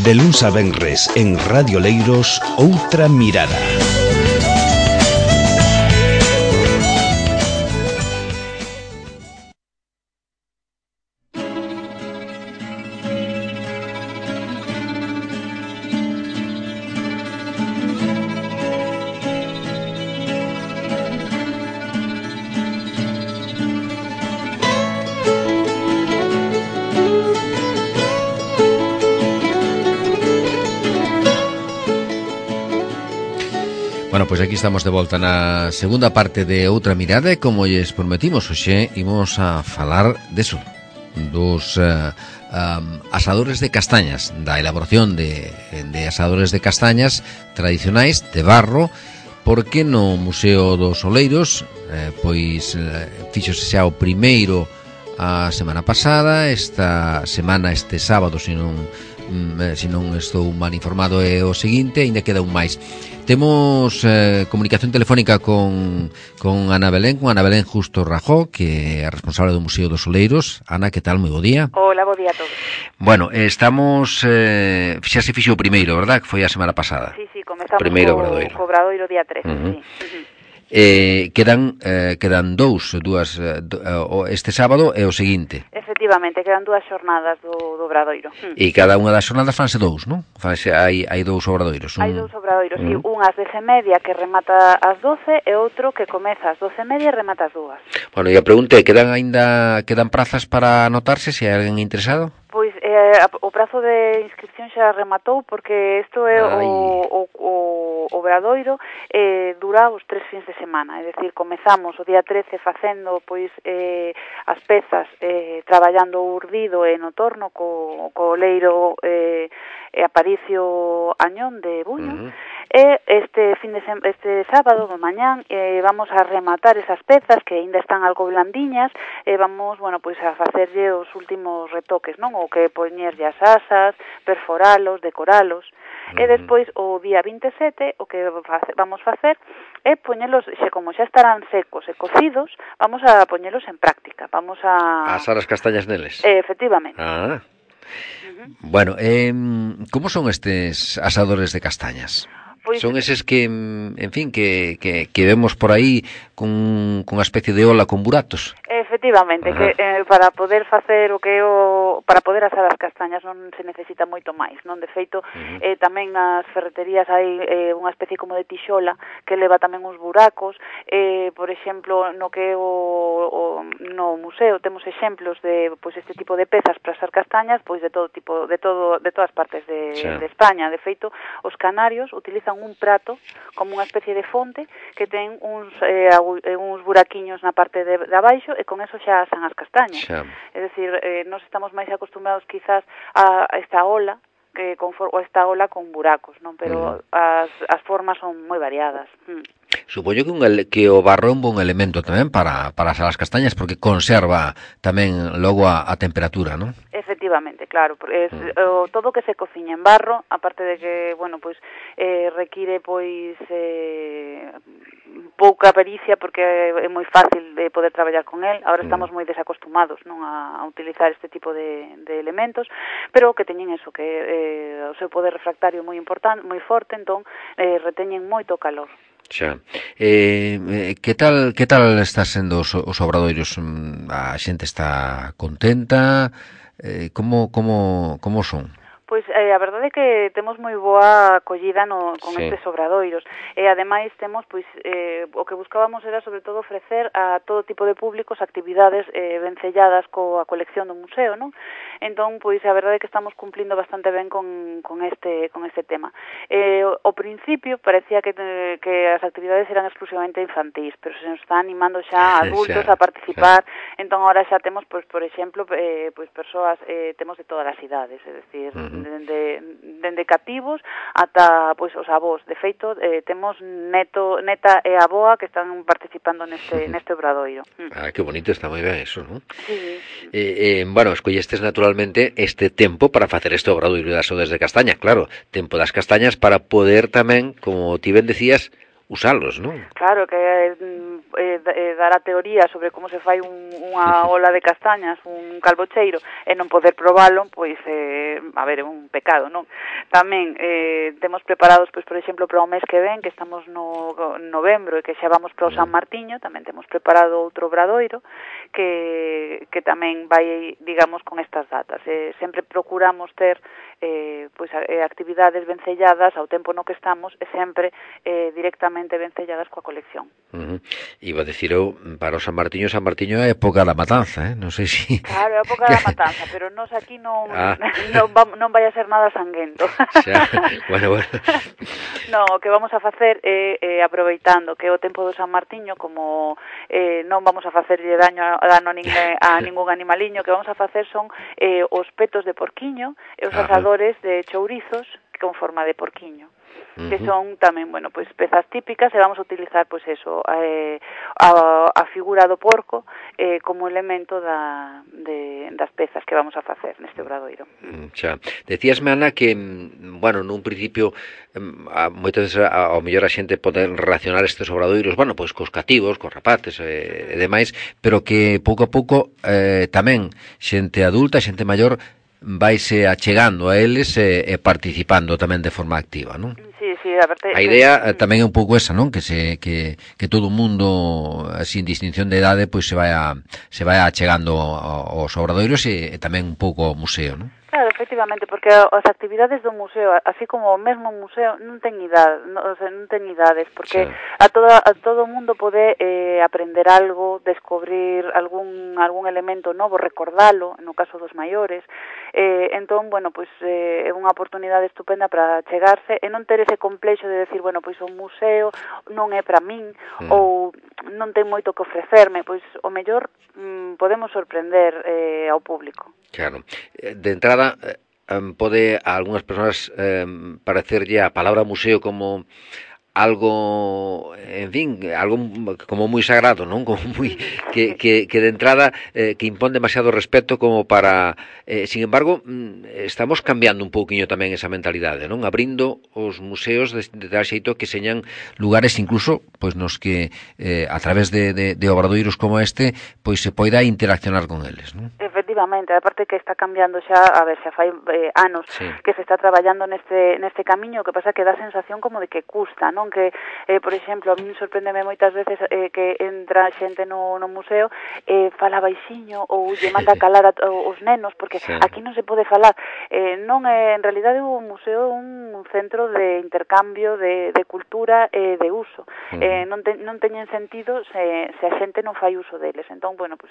De luns a venres en Radio Leiros, Outra Mirada. Bueno, pois aquí estamos de volta na segunda parte de Outra Mirada e como lles prometimos hoxe imos a falar deso, dos asadores de castañas, da elaboración de asadores de castañas tradicionais de barro, porque no Museo dos Oleiros pois fíxose xa o primeiro a semana pasada, esta semana, este sábado, se non estou mal informado, é o seguinte, ainda queda un máis. Temos comunicación telefónica con Ana Belén, Justo Rajó, que é a responsable do Museo dos Oleiros. Ana, que tal? Moi bo día. Hola, bo día a todos. Bueno, estamos, xa se fixo o primeiro, verdad? Que foi a semana pasada. Sí, comezamos co Obradoiro día 13, sí. Quedan dúas este sábado e o seguinte. Efectivamente, quedan dúas xornadas do Obradoiro. E cada unha das xornadas fanse dous, non? Hai dous obradoiros. Hai dous obradoiros, sí, un ás 10:30 que remata ás 12 e outro que comeza ás 12:30 e remata ás 2. Bueno, e a pregunta é, quedan prazas para anotarse, se hai alguén interesado? Pois o prazo de inscripción xa rematou porque isto é o Obradoiro dura os 3 fins de semana, é dicir, comezamos o día 13 facendo pois as pezas traballando o urdido e no torno co oleiro Aparicio Añón de Buño. E este sábado de mañán vamos a rematar esas pezas que aínda están algo blandiñas e vamos, bueno, pois a facerlle os últimos retoques, non? O que poñerlle as asas, perforalos, decoralos. E despois o día 27 o que vamos facer é poñelos, como xa estarán secos e cocidos, vamos a poñelos en práctica. Vamos a asar as castañas neles. Efectivamente. Bueno, como son estes asadores de castañas? Pois son eses que, en fin, que vemos por aí con unha especie de ola con buratos. Efectivamente, que para poder facer para poder asar as castañas non se necesita moito máis, non? De feito, tamén nas ferreterías hai unha especie como de tixola que leva tamén uns buracos. Por exemplo, no que no museo temos exemplos de pois este tipo de pezas para asar castañas, pois de todo tipo, de todas partes de España. De feito, os canarios utilizan un prato como unha especie de fonte que ten uns buraquiños na parte de abaixo e con eso xa asan as castañas. É dicir, nós estamos máis acostumbrados quizás a esta ola ou esta ola con buracos, non? Pero as formas son moi variadas. Supoño que o barro é un bon elemento tamén para asar as castañas, porque conserva tamén logo a temperatura, non? Efectivamente, claro, todo que se cociña en barro, aparte de que, bueno, pois require pois pouca pericia porque é moi fácil de poder traballar con el. Ahora estamos moi desacostumados, non, a utilizar este tipo de elementos, pero que teñen eso, que o seu poder refractario moi importante, moi forte, entón reteñen moito calor. Xa. Que tal está sendo os obradoiros? A xente está contenta? Como son? Pois a verdade é que temos moi boa acollida con estes obradoiros e ademais temos pois o que buscábamos era sobre todo ofrecer a todo tipo de públicos actividades vencelladas coa colección do museo, non? Entón, pois a verdade é que estamos cumplindo bastante ben con este tema. Ao principio parecía que as actividades eran exclusivamente infantís, pero se nos está animando xa adultos a participar. Entón agora xa temos, pois por exemplo, pois persoas, temos de todas as idades, é dicir, dende cativos ata pois os avós. De feito, temos neta e avoa que están participando neste obradoiro. Que bonito, está moi ben eso, non? Sí. Bueno, escollestes naturalmente este tempo para facer este obradoiro das odes de castaña, claro, tempo das castañas para poder tamén, como ti ben decías, usalos, non? Claro, que dar a teoría sobre como se fai unha ola de castañas, un calbocheiro, e non poder probalo, pois, a ver, é un pecado, non? Tamén temos preparados, pois, por exemplo, para o mes que ven, que estamos no novembro e que xa vamos para o San Martiño, tamén temos preparado outro obradoiro que tamén vai, digamos, con estas datas. Sempre procuramos ter pois actividades vencelladas ao tempo no que estamos e sempre directamente vencelladas coa colección. Iba a decir eu, para o San Martiño é a época da matanza, non sei se... Claro, é a época da matanza, pero nós aquí non vai a ser nada sanguento. Xa, bueno. No, o que vamos a facer é aproveitando que é o tempo do San Martiño, como non vamos a facerlle dano a ningún animaliño, que vamos a facer son os petos de porquiño e os asadores de chourizos con forma de porquiño, que son tamén, bueno, pois pezas típicas, e vamos a utilizar, pois eso, a figura do porco como elemento das pezas que vamos a facer neste obradoiro. Xa. Decíasme, Ana, que, bueno, nun principio, moitas veces ao mellor a xente pode relacionar estes obradoiros, bueno, pois cos cativos, cos rapaces e demais, pero que pouco a pouco tamén xente adulta, xente maior, vaise achegando a eles e participando tamén de forma activa, non? Sí, a idea tamén é un pouco esa, non? Que todo o mundo, sin distinción de idade, pois se vai achegando aos obradoiros e tamén un pouco ao museo, non? Claro, efectivamente, porque as actividades do museo, así como o mesmo museo, non ten idades, porque a todo o mundo pode aprender algo, descobrir algún elemento novo, recordalo, no caso dos maiores. Entón, bueno, pois é unha oportunidade estupenda para chegarse e non ter ese complexo de decir, bueno, pois o museo non é para min ou non ten moito que ofrecerme, pois o mellor podemos sorprender ao público. Claro. De entrada, pode a algunhas persoas parecerlle a palabra museo como algo, en fin, algo como moi sagrado, non? Como moi que de entrada que impón demasiado respeto como para, sin embargo, estamos cambiando un pouquiño tamén esa mentalidade, non? Abrindo os museos de tal xeito que señan lugares incluso pois nos que a través de obradoiros como este, pois se poida interaccionar con eles, non? Efectivamente, aparte que está cambiando xa, a ver, xa fai anos que se está traballando neste camiño, que pasa que dá sensación como de que custa, non? Que, por exemplo, a mí sorpréndeme moitas veces que entra xente no museo fala baixiño ou lle manda calar os nenos, porque aquí non se pode falar. Non é, en realidade, o museo é un centro de intercambio de cultura e de uso. Non teñen sentido se a xente non fai uso deles. Entón, bueno, pues,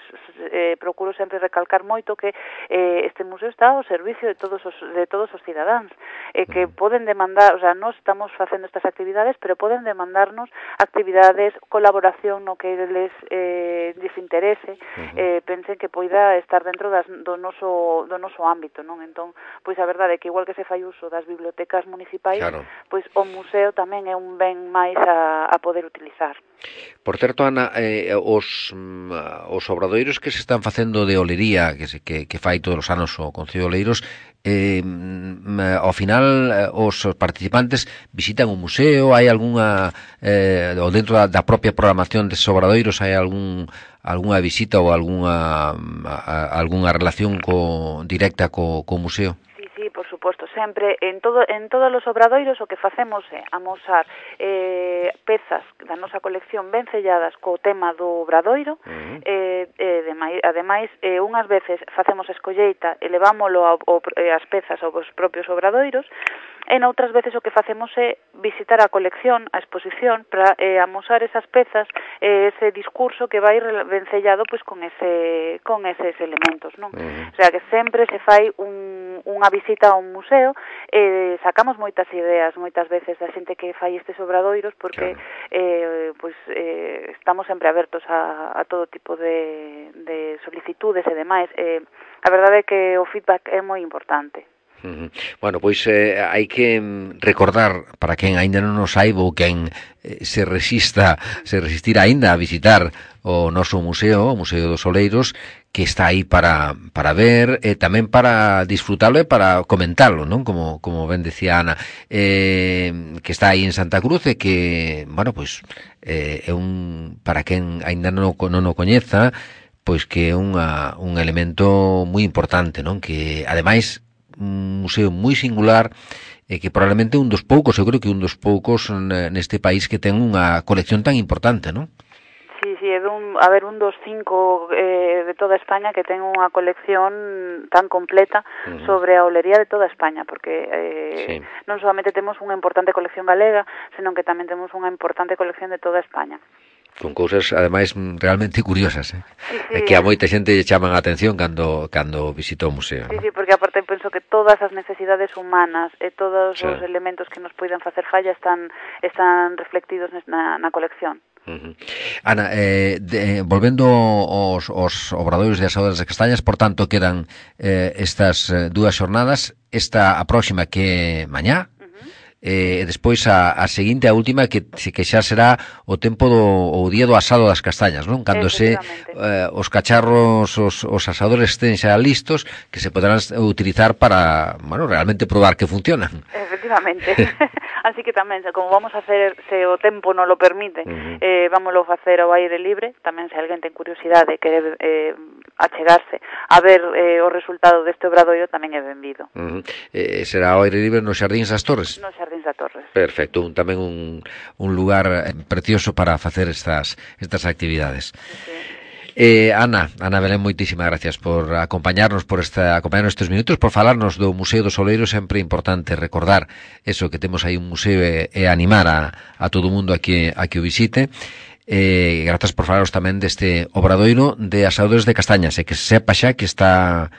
procuro sempre recalcar moito que este museo está ao servicio de todos os cidadáns, que poden demandar, o sea, nós estamos facendo estas actividades, pero poden demandarnos actividades, colaboración no que les interese, pensen que poida estar dentro do noso ámbito, non? Entón, pois a verdade é que igual que se fai uso das bibliotecas municipais, pois o museo tamén é un ben máis a poder utilizar. Por certo, Ana, os obradoiros que se están facendo de olería, que fai todos os anos o Concello de Oleiros, ao final os participantes visitan o museo, hai algunha ou dentro da propia programación deses obradoiros hai algunha visita ou algunha relación directa co museo? Sí, por suposto, sempre en todos os obradoiros o que facemos é amosar pezas da nosa colección ben selladas co tema do obradoiro, ademais, unhas veces facemos escolleita e levámolo as pezas aos propios obradoiros, e noutras veces o que facemos é visitar a colección, a exposición, para amosar esas pezas, ese discurso que vai vencellado pois con eses elementos, non? O sea, que sempre se fai unha visita a un museo e sacamos moitas ideas moitas veces da xente que fai estes obradoiros, porque estamos sempre abertos a todo tipo de solicitudes e demais. A verdade é que o feedback é moi importante. Bueno, pois hai que recordar para quen aínda non o saiba ou quen se resistirá aínda a visitar o noso museo, o Museo dos Oleiros, que está aí para ver e tamén para disfrutalo e para comentalo, non? Como ben decía Ana, que está aí en Santa Cruz e que, bueno, pois é para quen aínda non o coñeza, pois que é un elemento moi importante, non? Que ademais un museo moi singular e que probablemente un dos poucos, eu creo que un dos poucos neste país que ten unha colección tan importante, non? Sí, é un dos 5 de toda España que ten unha colección tan completa sobre a olería de toda España, porque non solamente temos unha importante colección galega, senón que tamén temos unha importante colección de toda España. Con cousas, ademais, realmente curiosas, sí. Que a moita xente lle chaman a atención cando visita o museo. Sí, porque aparte penso que todas as necesidades humanas e todos os elementos que nos poidan facer falla están reflectidos na colección. Ana, volvendo aos obradoiros de Asadores de Castañas, por tanto, quedan estas dúas xornadas, a próxima que é mañá, e despois a seguinte, a última, que xa será o tempo o día do asado das castañas, non? Cando os cacharros, os asadores estén xa listos, que se poderán utilizar para, bueno, realmente probar que funcionan. Efectivamente. Así que tamén, como vamos a hacer, se o tempo non lo permite, vámoslo facer ao aire libre. Tamén, se alguén ten curiosidade, quere achegarse a ver o resultado deste obradoiro, tamén é benvido. Será ao aire libre nos Xardíns das Torres? Nos Xardíns das Torres. Perfecto, tamén un lugar precioso para facer estas actividades. Ana Belén, moitísimas gracias por acompañarnos estes minutos, por falarnos do Museo dos Oleiros. Sempre importante recordar eso, que temos aí un museo e animar a todo o mundo a que o visite. Grazas por falaros tamén deste obradoiro de Asadores de Castañas, e que se sepa xa que está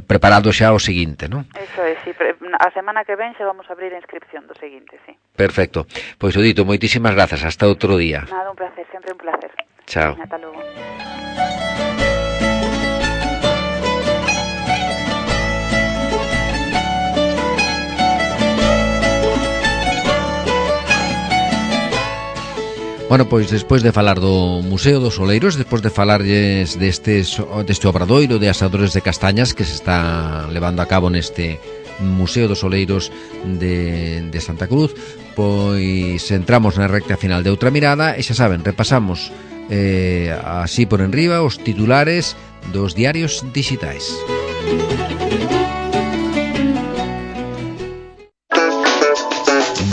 preparado xa o seguinte, non? Eso é, sí, a semana que ven xa vamos a abrir a inscripción do seguinte, sí. Perfecto, pois o dito, moitísimas grazas, hasta outro día. Nada, un placer, sempre un placer. Chao. Ata logo. Bueno, pois despois de falar do Museo dos Oleiros, despois de falarlles deste obradoiro de Asadores de Castañas que se está levando a cabo neste Museo dos Oleiros de Santa Cruz, pois entramos na recta final de Outra Mirada e xa saben, repasamos así por enriba os titulares dos diarios digitais.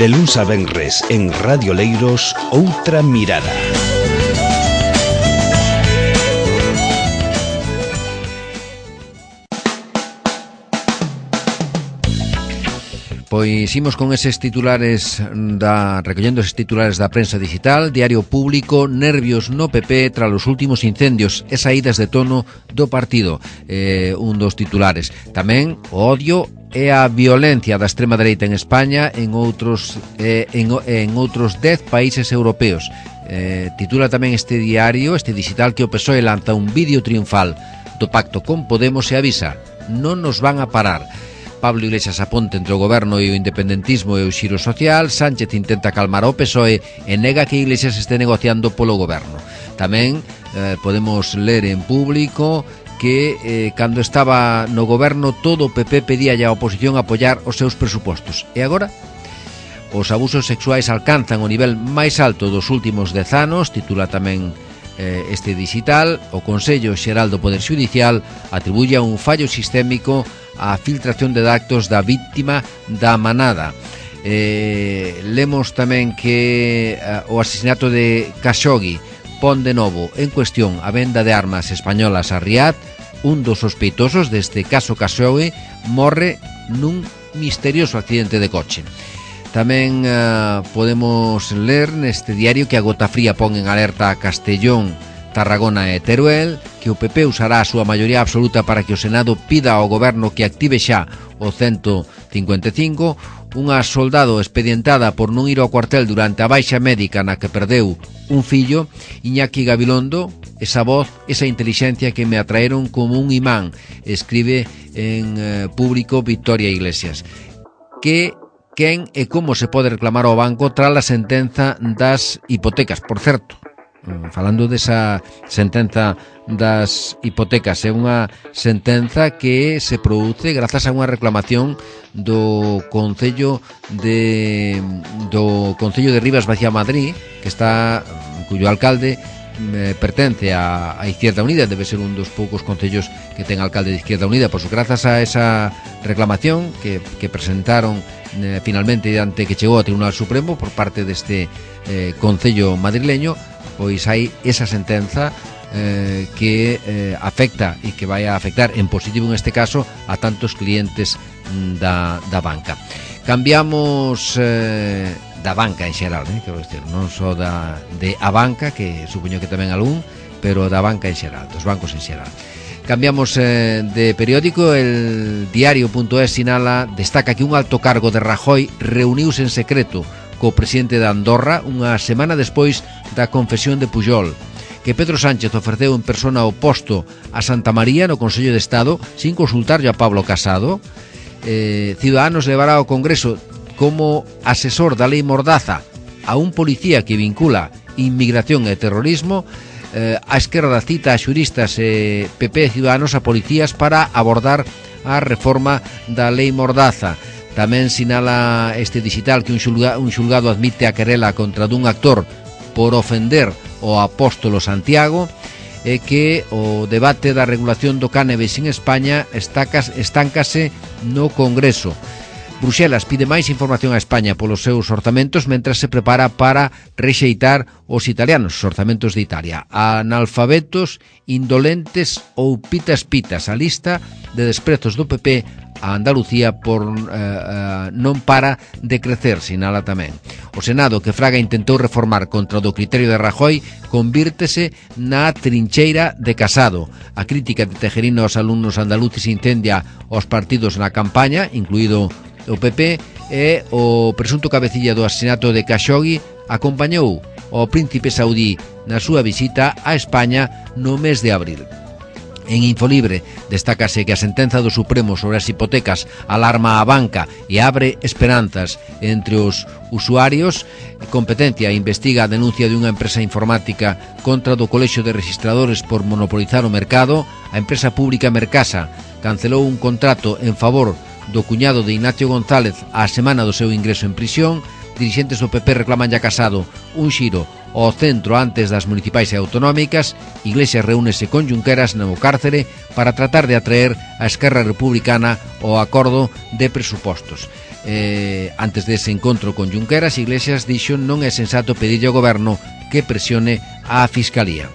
De luns a venres en Radio Leiros, Outra Mirada. Pois imos con eses titulares recollendo eses titulares da prensa digital. Diario Público: nervios no PP tras os últimos incendios e saídas de tono do partido, un dos titulares. Tamén o odio e a violencia da extrema dereita en España en outros 10 países europeos. Titula tamén este diario, este digital, que o PSOE lanza un vídeo triunfal do pacto con Podemos e avisa: non nos van a parar. Pablo Iglesias aponta entre o goberno e o independentismo e o xiro social. Sánchez intenta calmar ao PSOE e nega que Iglesias este negociando polo goberno. Tamén podemos ler en Público que cando estaba no goberno todo o PP pedía a oposición apoiar os seus presupostos. E agora? Os abusos sexuais alcanzan o nivel máis alto dos últimos 10 anos, titula tamén este digital. O Consello Xeral do Poder Xudicial atribuye a un fallo sistémico a filtración de datos da víctima da Manada. Lemos tamén que o asesinato de Khashoggi pon de novo en cuestión a venda de armas españolas a Riad. Un dos sospeitosos deste caso Khashoggi morre nun misterioso accidente de coche. Tamén podemos ler neste diario que a Gota Fría pon en alerta a Castellón, Tarragona e Teruel, que o PP usará a súa maioría absoluta para que o Senado pida ao goberno que active xa o 155. Unha soldado expedientada por non ir ao cuartel durante a baixa médica na que perdeu un fillo. Iñaki Gabilondo esa voz, esa inteligencia que me atraeron como un imán, escribe en público Victoria Iglesias. Que quen e como se pode reclamar ao banco tras a sentenza das hipotecas. Por certo, falando desa sentenza das hipotecas, é unha sentenza que se produce grazas a unha reclamación do Concello de Rivas Vaciá Madrid, que está, cuyo alcalde pertence a Izquierda Unida, debe ser un dos poucos concellos que ten alcalde de Izquierda Unida. Pois grazas a esa reclamación que presentaron finalmente ante que chegou ao Tribunal Supremo por parte deste concello madrileño, pois hai esa sentenza que afecta e que vai a afectar en positivo en este caso a tantos clientes da banca. Cambiamos da banca en xeral, quero dicir, non só de a banca, que supoño que tamén algún, pero da banca en xeral, dos bancos en xeral. Cambiamos de periódico. El diario.es destaca que un alto cargo de Rajoy reuniuse en secreto co presidente de Andorra unha semana despois da confesión de Pujol, que Pedro Sánchez ofreceu en persona o posto a Santa María no Consello de Estado sin consultarlle a Pablo Casado. Ciudadanos levará ao Congreso como asesor da lei Mordaza a un policía que vincula inmigración e terrorismo. A esquerda cita a xuristas PP e Ciudadanos a policías para abordar a reforma da lei Mordaza. Tamén sinala este digital que un xulgado admite a querela contra dun actor por ofender o apóstolo Santiago, e que o debate da regulación do cannabis en España estáncase no Congreso. Bruxelas pide máis información a España polos seus orzamentos mentras se prepara para rexeitar os italianos, os orzamentos de Italia. Analfabetos, indolentes ou pitas. A lista de desprezos do PP a Andalucía por non para de crecer, sinala tamén. O Senado, que Fraga intentou reformar contra o do criterio de Rajoy, convírtese na trincheira de Casado. A crítica de Tejerina aos alumnos andaluces incendia os partidos na campaña, incluído o PP, e o presunto cabecilla do asesinato de Khashoggi acompañou ao príncipe saudí na súa visita a España no mes de abril. En Infolibre destácase que a sentenza do Supremo sobre as hipotecas alarma a banca e abre esperanzas entre os usuarios. Competencia investiga a denuncia de unha empresa informática contra do Colexio de Registradores por monopolizar o mercado. A empresa pública Mercasa cancelou un contrato en favor do cuñado de Ignacio González á semana do seu ingreso en prisión. Dirixentes do PP reclaman a Casado un xiro ao centro antes das municipais e autonómicas. Iglesias reúnese con Junqueras no cárcere para tratar de atraer a Esquerra Republicana ao acordo de presupostos. Antes dese encontro con Junqueras, Iglesias dixo non é sensato pedirlle ao goberno que presione a Fiscalía.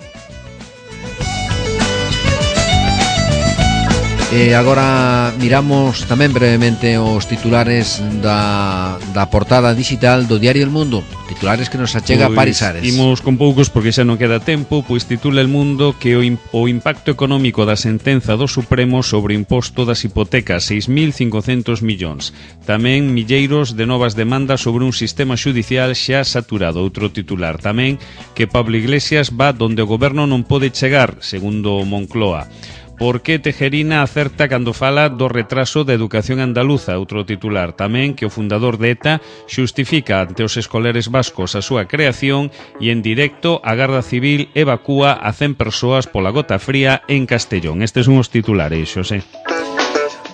Agora miramos tamén brevemente os titulares da portada digital do diario El Mundo, titulares que nos achega Paris Ares. Imos con poucos porque xa non queda tempo, pois titula El Mundo que o impacto económico da sentenza do Supremo sobre o imposto das hipotecas, 6.500 millóns. Tamén milleiros de novas demandas sobre un sistema xudicial xa saturado. Outro titular tamén que Pablo Iglesias va donde o goberno non pode chegar, segundo Moncloa. Por que Tejerina acerta cando fala do retraso da educación andaluza? Outro titular tamén que o fundador de ETA xustifica ante os escolares vascos a súa creación e en directo a Garda Civil evacúa a 100 persoas pola gota fría en Castellón. Estes son os titulares, Xosé.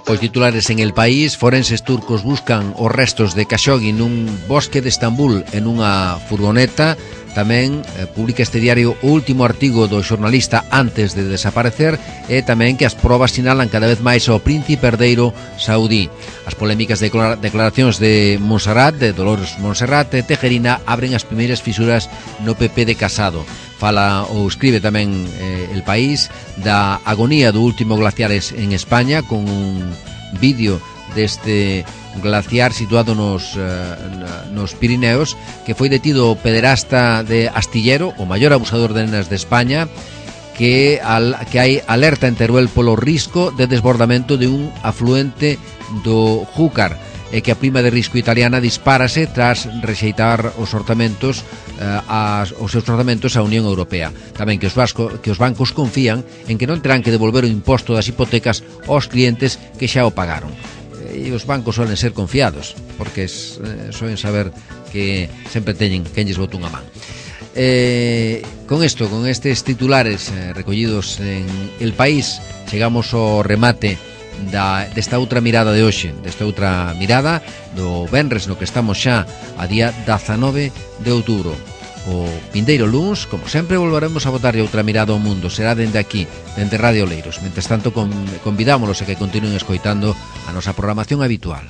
Os titulares en El País: forenses turcos buscan os restos de Khashoggi nun bosque de Estambul en unha furgoneta. Tamén publica este diario o último artigo do xornalista antes de desaparecer, e tamén que as probas sinalan cada vez máis ao príncipe herdeiro saudí. As polémicas declaracións de Montserrat, de Dolores Montserrat e Tejerina abren as primeiras fisuras no PP de Casado. Fala ou escribe tamén El País da agonía do último glaciares en España, con un vídeo deste glaciar situado nos Pirineos, que foi detido o pederasta de Astillero, o maior abusador de nenas de España, que hai alerta en Teruel polo risco de desbordamento de un afluente do Júcar. é que a prima de risco italiana dispárase tras rexeitar os orzamentos os seus orzamentos á Unión Europea. Tamén que os bancos confían en que non terán que devolver o imposto das hipotecas aos clientes que xa o pagaron. E os bancos suelen ser confiados, porque suelen saber que sempre teñen quen lles bota unha man. Con estes titulares recollidos en El País, chegamos ao remate desta outra mirada de hoxe, desta outra mirada do venres no que estamos xa a día 19 de outubro. O vindeiro luns, como sempre, volveremos a botarlle outra mirada ao mundo. Será dende aquí, dende Radio Oleiros. Mentres tanto, convidámolos a que continúen escoitando a nosa programación habitual.